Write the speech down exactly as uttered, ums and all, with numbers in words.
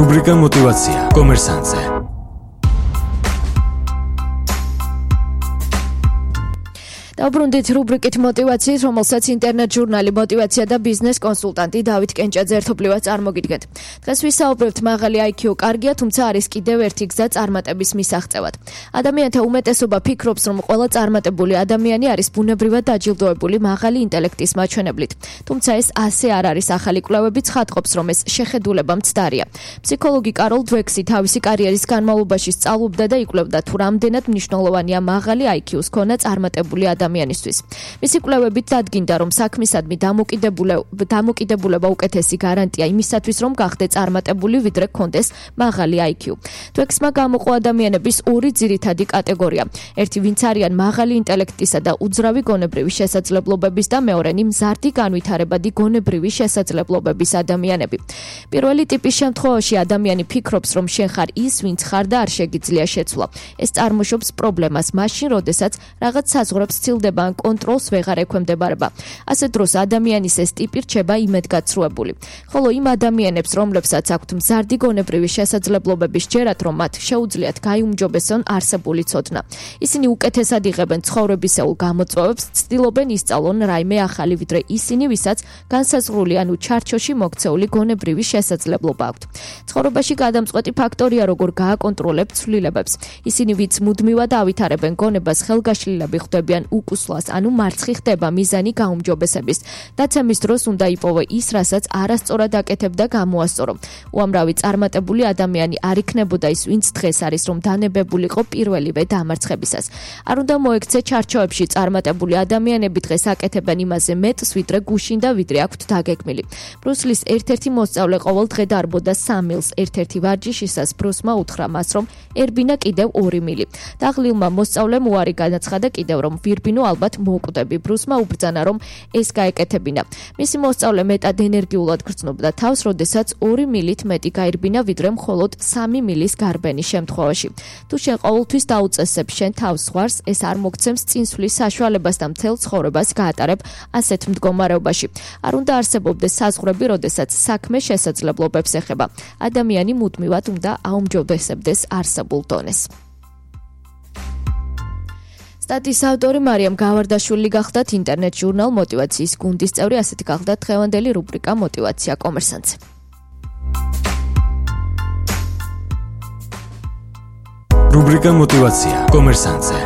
რუბრიკა მოტივაცია კომერსანტზე. დაუბრუნდით რუბრიკით მოტივაციის, რომელსაც ინტერნეტ ჟურნალი მოტივაცია და ბიზნეს კონსულტანტი დავით კენჭაძე ერთობლივად წარმოგიდგენთ. დღეს ვისაუბრებთ მაღალი აი ქიუ კარგია, თუმცა არის კიდევ ერთი გზა წარმატების მისაღწევად. ადამიანთა უმეტესობა ფიქრობს, რომ ყველა წარმატებული ადამიანი არის ბუნებრივად დაჯილდოებული მაღალი ინტელექტის მაჩვენებლით. თუმცა ეს ასე არ არის. ახალი კვლევები ცხადყოფს, რომ ეს შეხედულება მცდარია. ფსიქოლოგი კაროლ დვექსი თავისი კარიერის განმავლობაში სწავლობდა და იკვლევდა, თუ რამდენად მნიშვნელოვანია მაღალი აი ქიუს მქონა წარმატებული ადამიანისთვის. მისი კვლევებით დადგინდა, რომ საქმისადმი დამოკიდებულება უკეთესი გარანტია იმისათვის, რომ გახდე წარმატებული, ვიდრე გქონდეს მაღალი აი ქიუ. დვექსმა გამოყო ადამიანების ორი ძირითადი კატეგორია. ერთი, ვინც არიან მაღალი ინტელექტისა და უძრავი გონებრივი შესაძლებლობების და მეორენი, მზარდი განვითარებადი გონებრივი შესაძლებლობების ადამიანები. პირველი ტიპის შემთხვევაში ადამიანი ფიქრობს, რომ შენ ხარ ის, ვინც ხარ და არ შეგიძლია შეცვლა. ეს წარმოშობს პრობლემას მაშინ, როდესაც რაღაც საზღვრებს ცილდება ან კონტროლს ვეღარ ექვემდებარება. ასე დროს ადამიანის ეს ტიპი რჩება იმედგაცრუებული. ხოლო იმ ადამიანებს, რომლებსაც აქვთ მზარდი გონებრივი შესაძლებლობები, სჯერათ, რომ მათ შეუძლიათ გაიუმჯობესონ არსებული ცოდნა. ისინი უკეთესად იღებენ ცხოვრებისეულ გამოწვევებს, ცდილობენ ისწავლონ რაიმე ახალი, ვიდრე ისინი, ვისაც განსაზღვრული ანუ ჩარჩოში მოქცეული გონებრივი შესაძლებლობა აქვთ. ცხოვრებაში გადამწყვეტი ფაქტორია, როგორ გააკონტროლებთ ცვლილებებს. ისინი, ვინც მუდმივად ავითარებენ გონებას, ხელგაშლილები ხვდებიან უკუსლას, ანუ მარცხი ხდება მიზანი გაუმჯობესების. დაცემის დროს უნდა იპოვო ის, რასაც არასწორად აკეთებდა გამოასწორო. უამრავი წარმატებული ადამიანი არ იქნებოდა ის, ვინც დღეს არის, რომ დანებებულიყო პირველივე დამარცხებისას. არ უნდა მოექცე ჩარჩოებში წარმატებული ადამიანები დღეს აკეთებენ იმაზე მეტს, ვიდრე გუშინ და ვიდრე აქვთ დაგეგმილი. ბრუსლის ერთ-ერთი მოსწავლე ყოველ დღე დარბოდა სამ მილს. ერთ-ერთი ვარჯიშისას ბრუსმა უთხრა მას, რომ ერბინა კიდევ ორი მილი. დაღლილმა მოსწავლემ უარი განაცხადა კიდევ, რომ ვირბინო ალბათ მოვკვდები. ბრუსმა უბრძანა, რომ ეს გაეკეთებინა. მისი მოსწავლე მეტად ენერგიულად გრძნობდა თავს, როდესაც ორი მილით მეტი გაირბინა, ვიდრე მხოლოდ სამი მილის გარბენის შემთხვევაში. თუ შენ ყოველთვის დაუწესებ შენ თავს ზღვარს, ეს არ მოგცემს წინსვლის საშუალებას და მთელ ცხოვრებას გაატარებ ასეთ მდგომარეობაში. არ უნდა არსებობდეს საზღვრები, როდესაც საქმე შესაძლებლობებს ეხება. ადამიანი მუდმივად უნდა აუმჯობესებდეს არსებულ დონეს. სტატიის ავტორი მარიამ გავარდაშვილი გახდათ, ინტერნეტ ჟურნალ მოტივაციის გუნდის წევრი. ასეთი გახდათ დღევანდელი რუბრიკა მოტივაცია კომერსანტზე. რუბრიკა მოტივაცია კომერსანტზე.